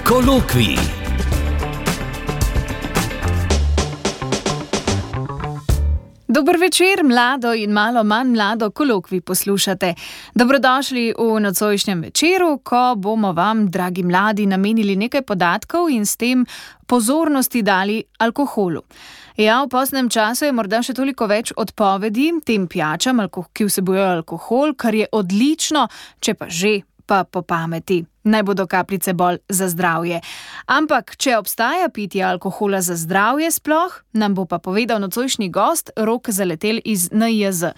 Kolokvij. Dober večer, mlado in malo manj mlado kolokvij poslušate. Dobrodošli v nocojšnjem večeru, ko bomo vam, dragi mladi, namenili nekaj podatkov in s tem pozornosti dali alkoholu. Ja, v poznem času je morda še toliko več odpovedi tem pijačam, ki vsebujejo alkohol, kar je odlično, če pa že, pa po pameti. Naj bodo kapljice bolj za zdravje. Ampak, če obstaja pitje alkohola za zdravje sploh, nam bo pa povedal nocojšnji gost Rok Zaletelj iz NIJZ.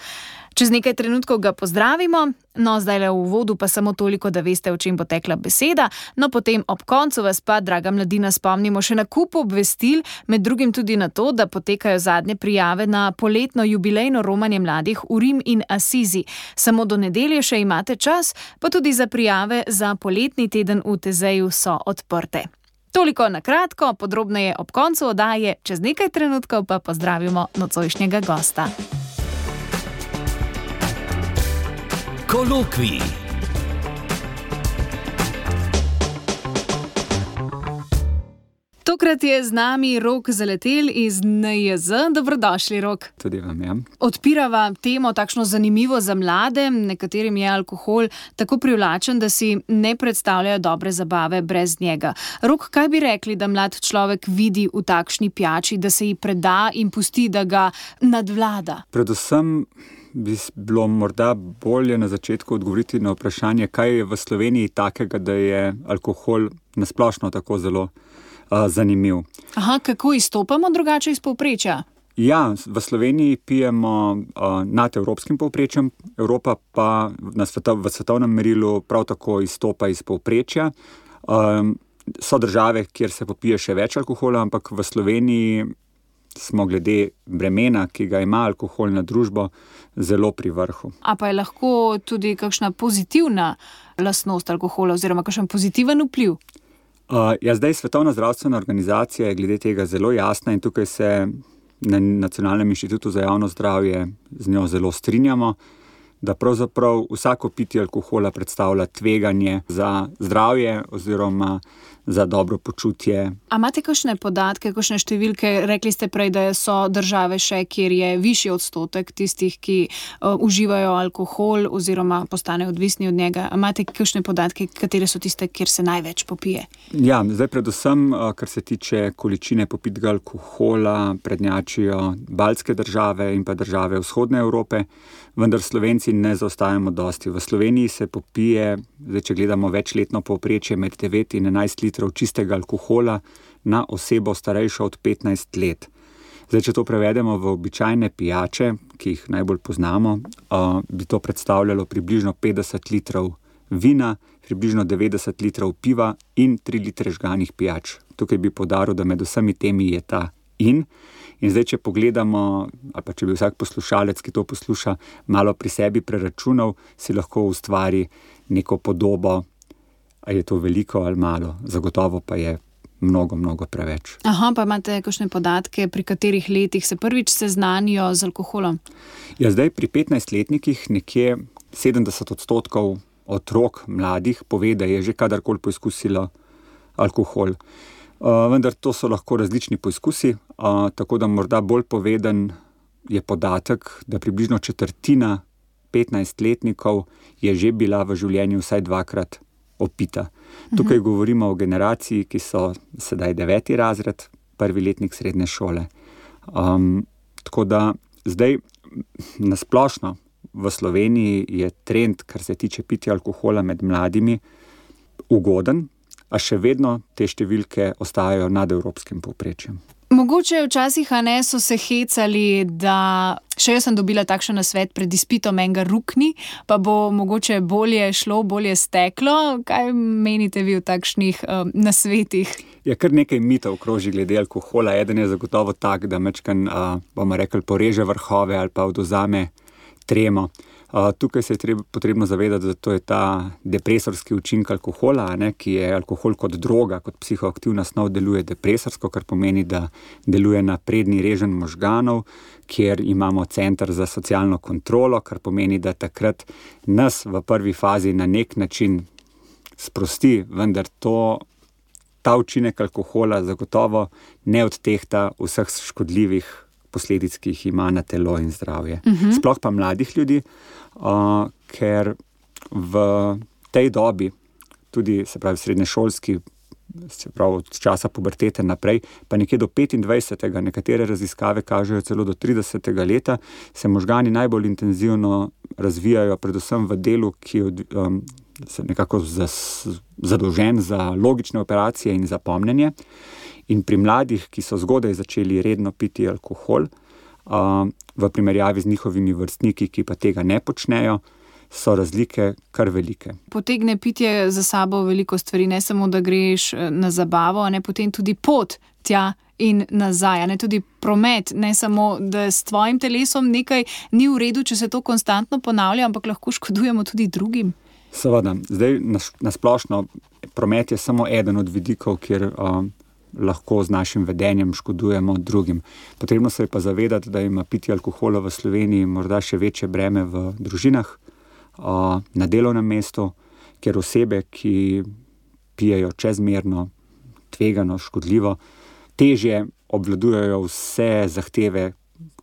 Čez nekaj trenutkov ga pozdravimo, no zdajle v uvodu pa samo toliko, da veste, o čem bo tekla beseda, no potem ob koncu vas pa, draga mladina, spomnimo še na kup obvestil, med drugim tudi na to, da potekajo zadnje prijave na poletno jubilejno romanje mladih v Rim in Asizi. Samo do nedelje še imate čas, pa tudi za prijave za poletni teden v Tezeju so odprte. Toliko na kratko, podrobneje ob koncu oddaje, čez nekaj trenutkov pa pozdravimo nocojšnjega gosta. Kolokvij. Tokrat je z nami Rok Zaletelj iz NIJZ. Dobrodošli, Rok. Tudi vam je. Odpirava temo takšno zanimivo za mlade, nekaterim je alkohol tako privlačen, da si ne predstavljajo dobre zabave brez njega. Rok, kaj bi rekli, da mlad človek vidi v takšni pijači, da se ji preda in pusti, da ga nadvlada? Predvsem bi bilo morda bolje na začetku odgovoriti na vprašanje, kaj je v Sloveniji takega, da je alkohol nasplošno tako zelo zanimiv. Aha, kako izstopamo drugače iz povprečja? Ja, v Sloveniji pijemo nad evropskim povprečjem, Evropa pa v svetovnem merilu prav tako izstopa iz povprečja. So države, kjer se popije še več alkohola, ampak v Sloveniji smo glede bremena, ki ga ima alkohol na družbo, zelo pri vrhu. A pa je lahko tudi kakšna pozitivna lastnost alkohola oziroma kakšen pozitiven vpliv? Zdaj Svetovna zdravstvena organizacija je glede tega zelo jasna in tukaj se na Nacionalnem inštitutu za javno zdravje z njo zelo strinjamo, da pravzaprav vsako pitje alkohola predstavlja tveganje za zdravje oziroma za dobro počutje. A imate kakšne podatke, kakšne številke? Rekli ste prej, da so države še, kjer je višji odstotek tistih, ki uživajo alkohol oziroma postanejo odvisni od njega. A imate kakšne podatke, katere so tiste, kjer se največ popije? Ja, zdaj predvsem, kar se tiče količine popitega alkohola, prednjačijo baltske države in pa države vzhodne Evrope, vendar Slovenci ne zaostajamo dosti. V Sloveniji se popije, zdaj če gledamo večletno povprečje, med 9 in 11 litrov čistega alkohola na osebo starejšo od 15 let. Zdaj, če to prevedemo v običajne pijače, ki jih najbolj poznamo, bi to predstavljalo približno 50 litrov vina, približno 90 litrov piva in 3 litre žganih pijač. Tukaj bi poudaril, da med vsemi temi je ta in zdaj, če pogledamo, ali pa če bi vsak poslušalec, ki to posluša, malo pri sebi preračunal, si lahko ustvari neko podobo, a je to veliko ali malo, zagotovo pa je mnogo, mnogo preveč. Aha, pa imate kakšne podatke, pri katerih letih se prvič seznanijo z alkoholom? Ja, zdaj pri 15-letnikih nekje 70% otrok, mladih, pove, da je že kadarkoli poizkusilo alkohol. Vendar to so lahko različni poizkusi, tako da morda bolj poveden je podatek, da približno četrtina 15-letnikov je že bila v življenju vsaj dvakrat opita. Tukaj govorimo o generaciji, ki so sedaj 9. razred, 1. letnik srednje šole. Tako da zdaj nasplošno v Sloveniji je trend, kar se tiče pitja alkohola med mladimi, ugoden, a še vedno te številke ostajajo nad evropskim povprečjem. Mogoče včasih, so se hecali, da še jaz sem dobila takšen nasvet pred izpitom enega rukni, pa bo mogoče bolje šlo, bolje steklo. Kaj menite vi o takšnih nasvetih? Ja, kar nekaj mitov kroži glede alkohola. Eden je zagotovo tak, da mečkan, bomo rekli, poreže vrhove ali pa odvzame tremo. Tukaj se je potrebno zavedati, da to je ta depresorski učinek alkohola, ki je alkohol kot droga, kot psihoaktivna snov deluje depresorsko, kar pomeni, da deluje na prednji reženj možganov, kjer imamo center za socialno kontrolo, kar pomeni, da takrat nas v prvi fazi na nek način sprosti, vendar to ta učinek alkohola zagotovo ne odtehta vseh škodljivih posledic, ki jih ima na telo in zdravje. Sploh pa mladih ljudi, ker v tej dobi, tudi se pravi srednješolski, se pravi od časa pubertete naprej, pa nekje do 25. Nekatere raziskave kažejo celo do 30. leta, se možgani najbolj intenzivno razvijajo, predvsem v delu, ki je se nekako zadolžen za logične operacije in za pomnjenje. In pri mladih, ki so zgodaj začeli redno piti alkohol, v primerjavi z njihovimi vrstniki, ki pa tega ne počnejo, so razlike kar velike. Potegne pitje za sabo veliko stvari, ne samo, da greš na zabavo, ne potem tudi pot tja in nazaj, ne tudi promet, ne samo, da s tvojim telesom nekaj ni v redu, če se to konstantno ponavlja, ampak lahko škodujemo tudi drugim. Seveda, zdaj na splošno promet je samo eden od vidikov, kjer lahko z našim vedenjem škodujemo drugim. Potrebno se je pa zavedati, da ima pitje alkohola v Sloveniji morda še večje breme v družinah, na delovnem mestu, kjer osebe, ki pijejo čezmerno, tvegano, škodljivo, težje obvladujejo vse zahteve,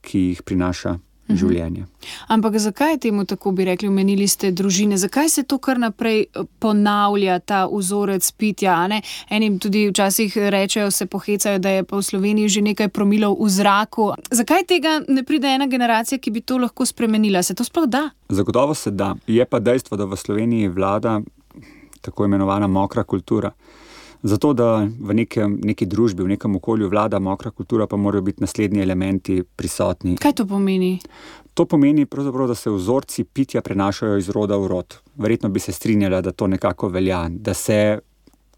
ki jih prinaša življenje. Ampak zakaj je temu tako, bi rekli, omenili ste družine? Zakaj se to kar naprej ponavlja, ta vzorec pitja? Ne? Enim tudi včasih rečejo, se pohecajo, da je pa v Sloveniji že nekaj promilov v zraku. Zakaj tega ne pride ena generacija, ki bi to lahko spremenila? Se to sploh da? Zagotovo se da. Je pa dejstvo, da v Sloveniji vlada tako imenovana mokra kultura. Zato, da v neki družbi, v nekem okolju vlada mokra kultura, pa morajo biti naslednji elementi prisotni. Kaj to pomeni? To pomeni pravzaprav, da se vzorci pitja prenašajo iz roda v rod. Verjetno bi se strinjala, da to nekako velja, da se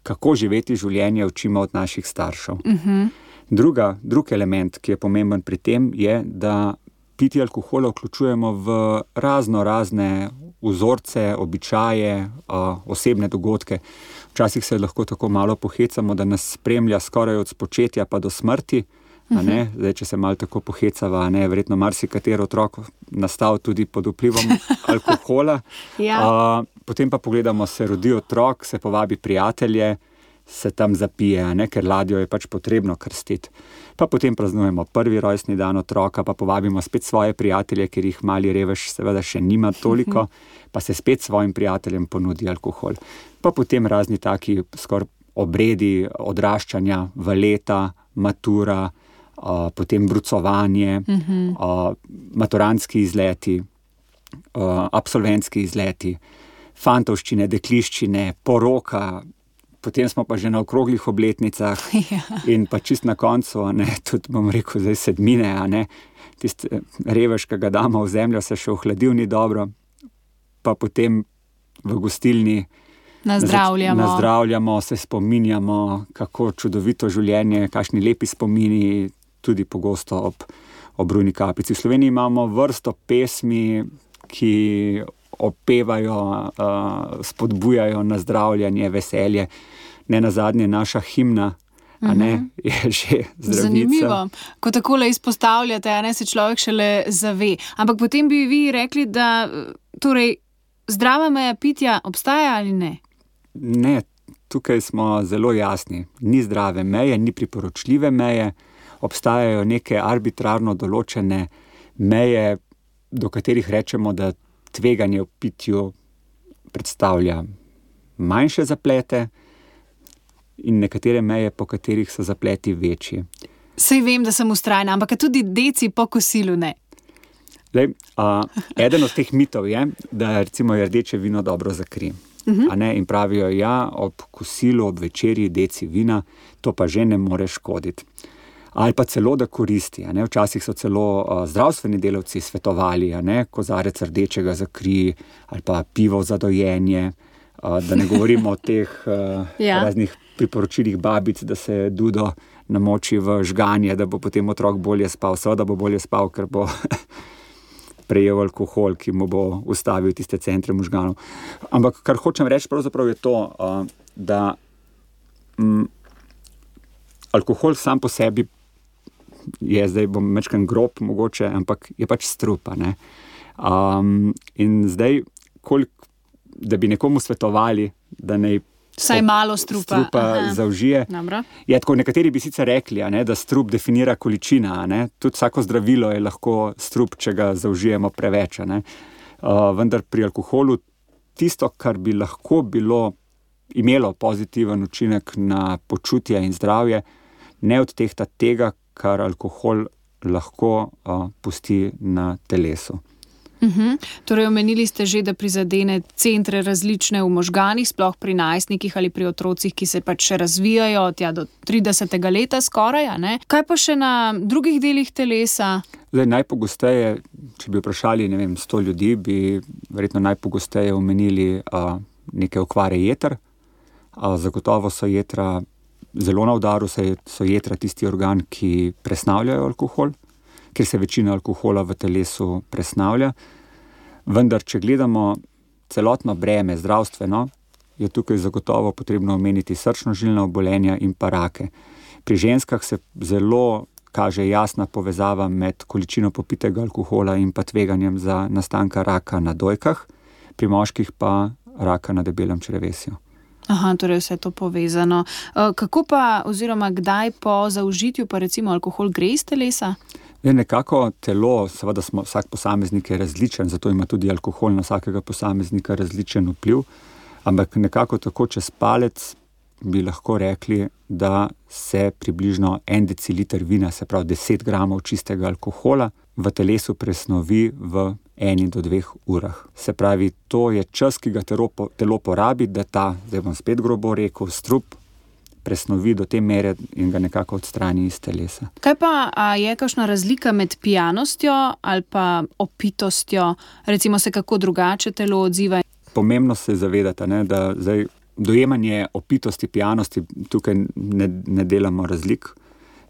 kako živeti življenje učimo od naših staršev. Drug element, ki je pomemben pri tem, je, da pitje alkohola vključujemo v razne vzorce, običaje, osebne dogodke. Včasih se lahko tako malo pohecamo, da nas spremlja skoraj od spočetja pa do smrti. Zdaj, če se malo tako pohecava, verjetno marsikateri otrok nastal tudi pod vplivom alkohola. Ja. Potem pa pogledamo, se rodi otrok, se povabi prijatelje, se tam zapije, ker ladjo je pač potrebno krstiti. Pa potem praznujemo prvi rojstni dan otroka, pa povabimo spet svoje prijatelje, ker jih mali revež seveda še nima toliko, pa se spet svojim prijateljem ponudi alkohol. Pa potem razni taki skoraj obredi odraščanja v leta, matura, potem brucovanje, maturantski izleti, absolventski izleti, fantovščine, dekliščine, poroka, potem smo pa že na okroglih obletnicah in pa čist na koncu, tudi bom rekel zdaj sedmine, tisti revež, ki ga damo v zemljo, se še ohladil ni dobro, pa potem v gostilni nazdravljamo, se spominjamo, kako čudovito življenje, kakšni lepi spomini, tudi pogosto ob rujni kapljici. V Sloveniji imamo vrsto pesmi, ki opevajo, spodbujajo nazdravljanje, veselje. Nenazadnje naša himna, je že zdravnica. Zanimivo. Ko takole izpostavljate, se človek šele zave. Ampak potem bi vi rekli, da torej zdrava meja pitja obstaja ali ne? Ne, tukaj smo zelo jasni. Ni zdrave meje, ni priporočljive meje. Obstajajo neke arbitrarno določene meje, do katerih rečemo, da tveganje v pitju predstavlja manjše zaplete in nekatere meje, po katerih so zapleti večji. Saj vem, da sem vztrajna, ampak tudi deci po kosilu ne. Eden od teh mitov je, da recimo je rdeče vino dobro za kri. In pravijo, ob kosilu, ob večerji deci vina, to pa že ne more škoditi. Ali pa celo, da koristi. Včasih so celo zdravstveni delavci svetovali, kozarec rdečega za kri ali pa pivo za dojenje, da ne govorimo o teh raznih priporočilih babic, da se dudo namoči v žganje, da bo potem otrok bolje spal. Seveda bo bolje spal, ker bo prejel alkohol, ki mu bo ustavil tiste centre možganov. Ampak kar hočem reči pravzaprav je to, da alkohol sam po sebi je, zdaj bom mečkan grob mogoče, ampak je pač strup. In zdaj, da bi nekomu svetovali, da naj Vsaj malo strupa zaužije. Tako, nekateri bi sicer rekli, da strup definira količina. Tudi vsako zdravilo je lahko strup, če ga zaužijemo preveč. Vendar pri alkoholu tisto, kar bi lahko imelo pozitiven učinek na počutje in zdravje, ne odtehta tega, kar alkohol lahko pusti na telesu. Torej, omenili ste že, da prizadene centre različne v možganih, sploh pri najstnikih ali pri otrocih, ki se pač še razvijajo do 30. leta skoraj. Kaj pa še na drugih delih telesa? Najpogosteje, če bi vprašali 100 ljudi, bi verjetno najpogosteje omenili neke okvare jeter. Zagotovo so jetra zelo na udaru, so jetra tisti organ, ki presnavljajo alkohol, ker se večina alkohola v telesu presnavlja. Vendar, če gledamo celotno breme zdravstveno, je tukaj zagotovo potrebno omeniti srčno-žilna obolenja in pa rake. Pri ženskah se zelo kaže jasna povezava med količino popitega alkohola in pa tveganjem za nastanka raka na dojkah, pri moških pa raka na debelem črevesju. Torej vse to povezano. Kako pa oziroma kdaj po zaužitju pa recimo alkohol gre iz telesa? Nekako telo, seveda vsak posameznik je različen, zato ima tudi alkohol na vsakega posameznika različen vpliv, ampak nekako tako čez palec bi lahko rekli, da se približno 1 deciliter vina, se pravi 10 gramov čistega alkohola, v telesu presnovi v 1 do 2 urah. Se pravi, to je čas, ki ga telo porabi, da zdaj bom spet grobo rekel, strup presnovi do te mere in ga nekako odstrani iz telesa. Kaj pa je kakšna razlika med pijanostjo ali pa opitostjo? Recimo se kako drugače telo odziva? Pomembno se zavedati, da zdaj dojemanje opitosti, pijanosti, tukaj ne delamo razlik,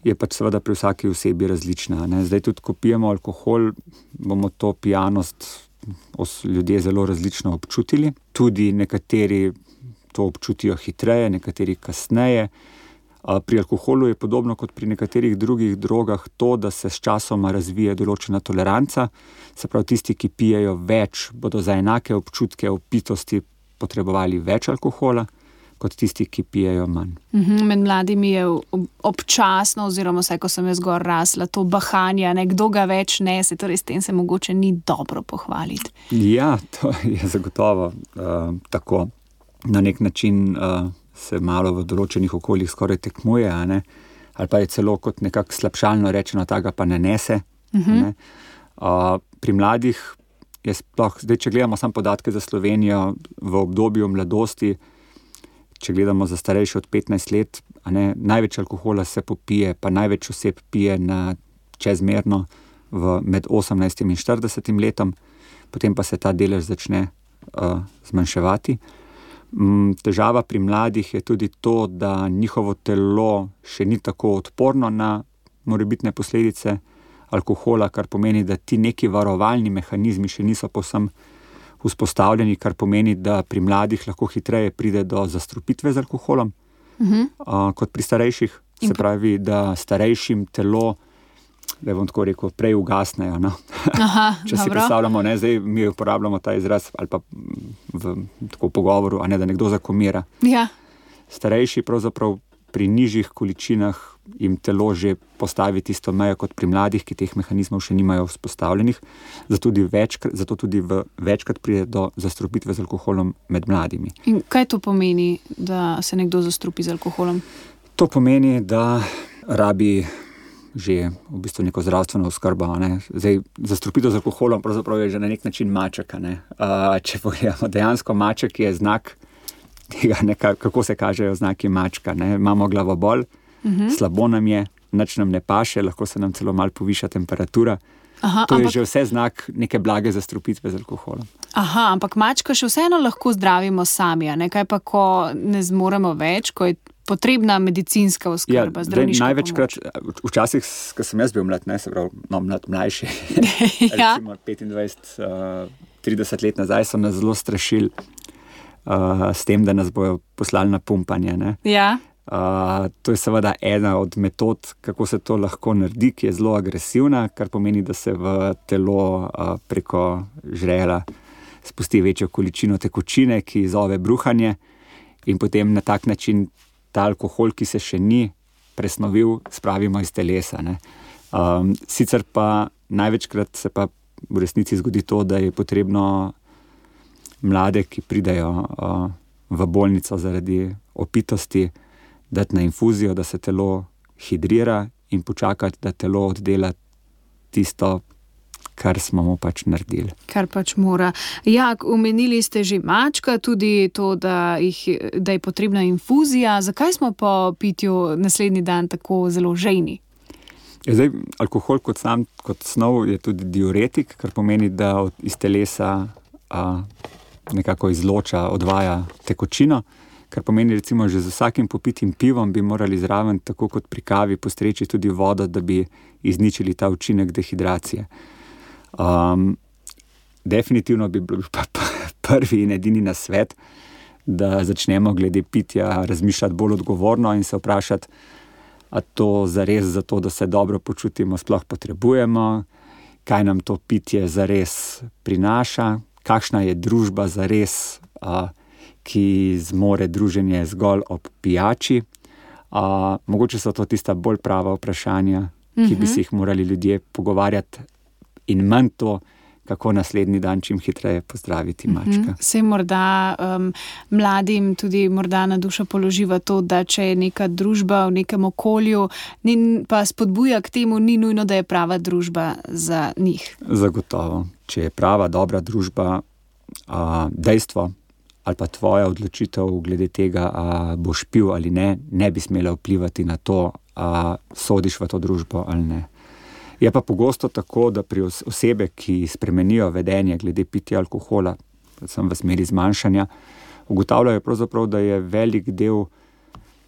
je pač seveda pri vsaki osebi različna. Zdaj tudi, ko pijemo alkohol, bomo to pijanost ljudje zelo različno občutili. Tudi nekateri to občutijo hitreje, nekateri kasneje. Pri alkoholu je podobno kot pri nekaterih drugih drogah to, da se s časoma razvije določena toleranca. Se pravi, tisti, ki pijejo več, bodo za enake občutke opitosti potrebovali več alkohola, kot tisti, ki pijejo manj. Med mladimi je občasno, oziroma vsaj, ko sem jaz gor rasla, to bahanje, kdo ga več nese, torej s tem se mogoče ni dobro pohvaliti. Ja, to je zagotovo tako. Na nek način se malo v določenih okoljih skoraj tekmuje, ali pa je celo kot nekako slabšalno rečeno, ta ga pa ne nese. Pri mladih je sploh, zdaj če gledamo samo podatke za Slovenijo v obdobju mladosti, če gledamo za starejše od 15 let, največ alkohola se popije, pa največ oseb pije čezmerno med 18 in 40 letom, potem pa se ta delež začne zmanjševati. Težava pri mladih je tudi to, da njihovo telo še ni tako odporno na morebitne posledice alkohola, kar pomeni, da ti neki varovalni mehanizmi še niso povsem vzpostavljeni, kar pomeni, da pri mladih lahko hitreje pride do zastrupitve z alkoholom, kot pri starejših. Se pravi, da starejšim telo, da bom tako rekel, prej ugasnejo. Če si predstavljamo, zdaj mi uporabljamo ta izraz ali pa v tako pogovoru, da nekdo zakomira. Ja. Starejši pravzaprav pri nižjih količinah jim telo že postavi tisto mejo kot pri mladih, ki teh mehanizmov še nimajo vzpostavljenih, zato tudi večkrat pride do zastrupitve z alkoholom med mladimi. In kaj to pomeni, da se nekdo zastrupi z alkoholom? To pomeni, da rabi že v bistvu neko zdravstveno oskrbo. Zdaj, zastrupitev z alkoholom pravzaprav je že na nek način maček. Če pogledamo, dejansko maček je znak tega, kako se kažejo znaki mačka. Imamo glavobol, slabo nam je, nič nam ne paše, lahko se nam celo malo poviša temperatura. To je že vse znak neke blage zastrupitve z alkoholom. Ampak mačka še vseeno lahko zdravimo sami, kaj pa, ko ne zmoremo več, ko je potrebna medicinska oskrba, zdravniška največkrat, pomoč. Včasih, ko sem jaz bil mlad, se pravi, mlajši, recimo 25-30 let nazaj, so nas zelo strašili s tem, da nas bojo poslali na pumpanje. Ja. To je seveda ena od metod, kako se to lahko naredi, ki je zelo agresivna, kar pomeni, da se v telo preko žrela spusti večjo količino tekočine, ki izzove bruhanje. in potem na tak način ta alkohol, ki se še ni presnovil, spravimo iz telesa, ne. Sicer pa največkrat se pa v resnici zgodi to, da je potrebno mlade, ki pridejo v bolnico zaradi opitosti, dati na infuzijo, da se telo hidrira in počakati, da telo oddela tisto, kar smo mu pač naredili. Kar pač mora. Ja, omenili ste že mačka, tudi to, da je potrebna infuzija. Zakaj smo po pitju naslednji dan tako zelo žejni? Zdaj, alkohol kot snov je tudi diuretik, kar pomeni, da iz telesa nekako izloča, odvaja tekočino, kar pomeni recimo že z vsakim popitim pivom bi morali zraven, tako kot pri kavi, postreči tudi vodo, da bi izničili ta učinek dehidracije. Definitivno bi bil pa prvi in edini nasvet, da začnemo glede pitja razmišljati bolj odgovorno in se vprašati, a to zares zato, da se dobro počutimo, sploh potrebujemo, kaj nam to pitje zares prinaša, kakšna je družba zares, ki zmore druženje zgolj ob pijači. Mogoče so to tista bolj prava vprašanja, ki bi si jih morali ljudje pogovarjati, in manj to, kako naslednji dan čim hitreje pozdraviti mačka. Saj morda mladim tudi morda na dušo položiva to, da če je neka družba v nekem okolju, pa spodbuja k temu, ni nujno, da je prava družba za njih. Zagotovo. Če je prava, dobra družba, dejstvo ali pa tvoja odločitev glede tega, boš pil ali ne, ne bi smela vplivati na to, sodiš v to družbo ali ne. Je pa pogosto tako, da pri osebe, ki spremenijo vedenje glede pitja alkohola, predvsem v smeri zmanjšanja, ugotavljajo pravzaprav, da je velik del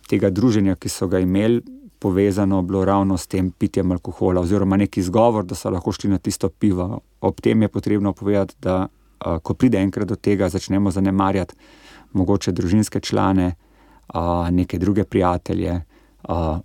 tega druženja, ki so ga imeli, povezano bilo ravno s tem pitjem alkohola, oziroma neki izgovor, da so lahko šli na tisto pivo. Ob tem je potrebno povedati, da ko pride enkrat do tega, začnemo zanemarjati mogoče družinske člane, neke druge prijatelje,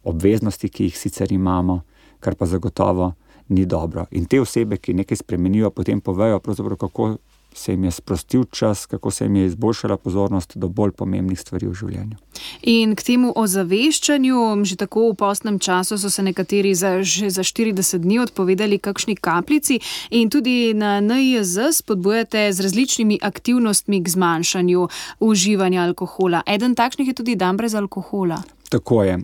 obveznosti, ki jih sicer imamo, kar pa zagotovo ni dobro. In te osebe, ki nekaj spremenijo, potem povejo pravzaprav, kako se jim je sprostil čas, kako se jim je izboljšala pozornost do bolj pomembnih stvari v življenju. In k temu ozaveščanju, že tako v postnem času so se nekateri že za 40 dni odpovedali kakšni kapljici in tudi na NIJZ spodbujate z različnimi aktivnostmi k zmanjšanju uživanja alkohola. Eden takšnih je tudi dan brez alkohola. Tako je.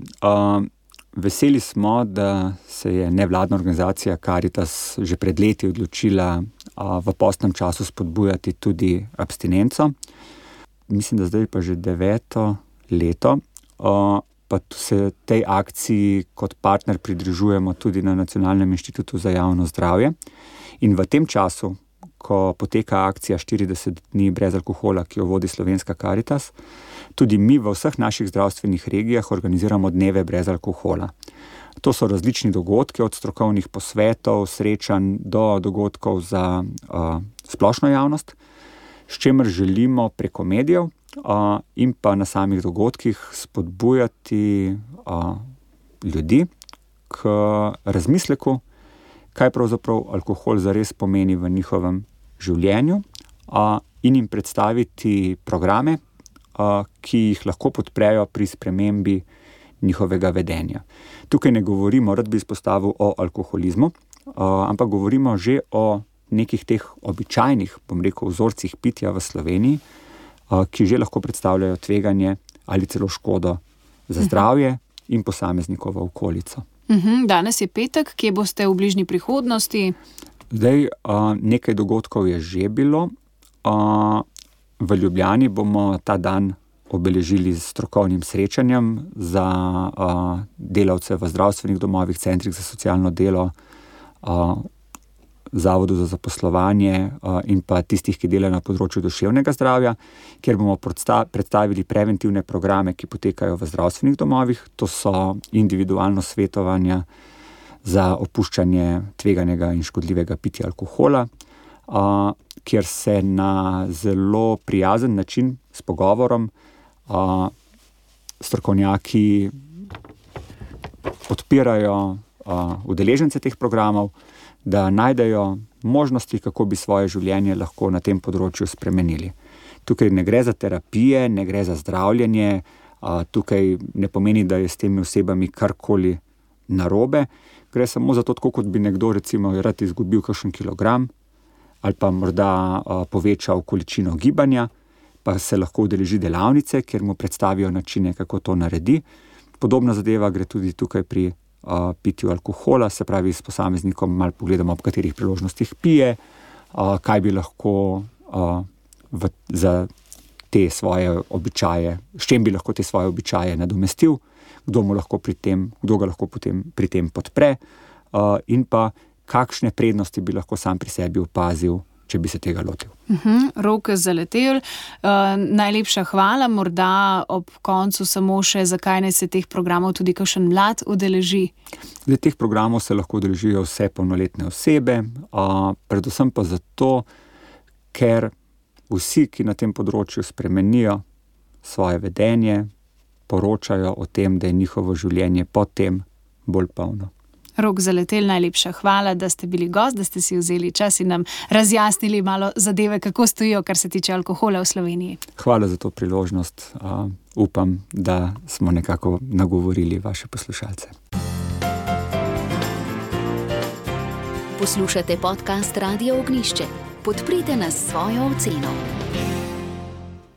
Veseli smo, da se je nevladna organizacija Karitas že pred leti odločila v postnem času spodbujati tudi abstinenco. Mislim, da zdaj pa že 9. leto, pa se tej akciji kot partner pridružujemo tudi na Nacionalnem inštitutu za javno zdravje. In v tem času, ko poteka akcija 40 dni brez alkohola, ki jo vodi Slovenska Karitas, tudi mi v vseh naših zdravstvenih regijah organiziramo dneve brez alkohola. To so različni dogodki, od strokovnih posvetov, srečanj do dogodkov za splošno javnost, s čimer želimo preko medijev in pa na samih dogodkih spodbujati ljudi k razmisleku, kaj pravzaprav alkohol zares pomeni v njihovem življenju, in jim predstaviti programe, ki jih lahko podprejo pri spremembi njihovega vedenja. Tukaj ne govorimo, rad bi izpostavil, o alkoholizmu, ampak govorimo že o nekih teh običajnih, vzorcih pitja v Sloveniji, ki že lahko predstavljajo tveganje ali celo škodo za zdravje in posameznikovo okolico. Danes je petek, kje boste v bližnji prihodnosti? Zdaj, nekaj dogodkov je že bilo. V Ljubljani bomo ta dan obeležili s strokovnim srečanjem za delavce v zdravstvenih domovih, centrih za socialno delo, Zavodu za zaposlovanje in pa tistih, ki delajo na področju duševnega zdravja, kjer bomo predstavili preventivne programe, ki potekajo v zdravstvenih domovih. To so individualno svetovanja za opuščanje tveganega in škodljivega pitja alkohola, kjer se na zelo prijazen način s pogovorom strokovnjaki podpirajo udeležence teh programov, da najdejo možnosti, kako bi svoje življenje lahko na tem področju spremenili. Tukaj ne gre za terapije, ne gre za zdravljenje, tukaj ne pomeni, da je s temi osebami karkoli narobe. Gre samo za to, tako kot bi nekdo recimo rad izgubil kakšen kilogram ali pa morda povečal količino gibanja, pa se lahko udeleži delavnice, kjer mu predstavijo načine, kako to naredi. Podobna zadeva gre tudi tukaj pri pitju alkohola, se pravi s posameznikom malo pogledamo, ob katerih priložnostih pije, kaj bi lahko za te svoje običaje, s čem bi lahko te svoje običaje nadomestil, kdo ga lahko potem pri tem podpre, in pa kakšne prednosti bi lahko sam pri sebi opazil, če bi se tega lotil. Rok Zaletelj, najlepša hvala, morda ob koncu samo še, zakaj naj se teh programov tudi kakšen mlad udeleži? Teh programov se lahko udeležijo vse polnoletne osebe, predvsem pa zato, ker vsi, ki na tem področju spremenijo svoje vedenje, poročajo o tem, da je njihovo življenje potem bolj polno. Rok Zaletelj, najlepša hvala, da ste bili gost, da ste si vzeli čas in nam razjasnili malo zadeve, kako stojijo, kar se tiče alkohola v Sloveniji. Hvala za to priložnost. Upam, da smo nekako nagovorili vaše poslušalce. Poslušate podcast Radio Ognjišče. Podprite nas s svojo oceno.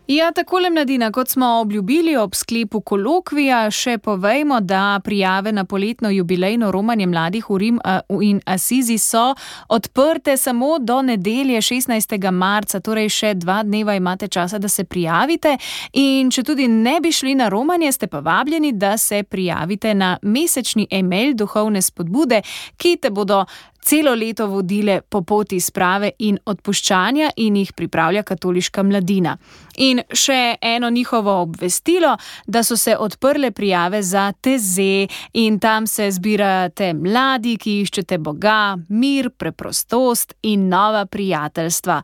Ja, takole mladina, kot smo obljubili ob sklepu kolokvija, še povejmo, da prijave na poletno jubilejno romanje mladih v Rim in Asizi so odprte samo do nedelje 16. marca, torej še 2 dneva imate časa, da se prijavite, in če tudi ne bi šli na romanje, ste pa vabljeni, da se prijavite na mesečni e-mail Duhovne spodbude, ki te bodo celo leto vodile po poti sprave in odpuščanja in jih pripravlja Katoliška mladina. In še eno njihovo obvestilo, da so se odprle prijave za TZ in tam se zbirate mladi, ki iščete Boga, mir, preprostost in nova prijateljstva.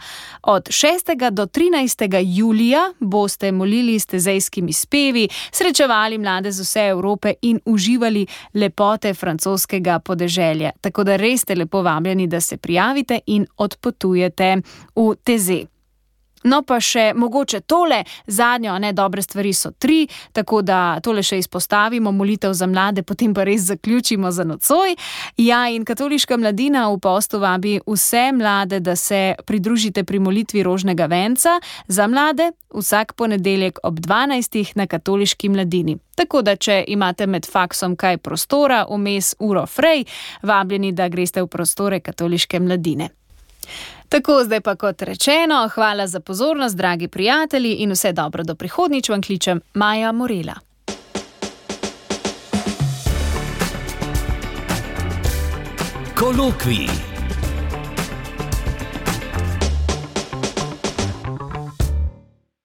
Od 6. do 13. julija boste molili s tezejskimi spevi, srečevali mlade z vse Evrope in uživali lepote francoskega podeželja. Tako da res ste lepo povabljeni, da se prijavite in odpotujete v TZ. No pa še mogoče tole, zadnjo, dobre stvari so 3, tako da tole še izpostavimo, molitev za mlade, potem pa res zaključimo za nocoj. Ja, in Katoliška mladina v postu vabi vse mlade, da se pridružite pri molitvi rožnega venca za mlade vsak ponedeljek ob 12. na Katoliški mladini. Tako da, če imate med faksom kaj prostora, vmes uro frej, vabljeni, da greste v prostore Katoliške mladine. Tako, zdaj pa kot rečeno, hvala za pozornost, dragi prijatelji, in vse dobro do prihodnjič, vam kličem Maja Morela. Kolokvij.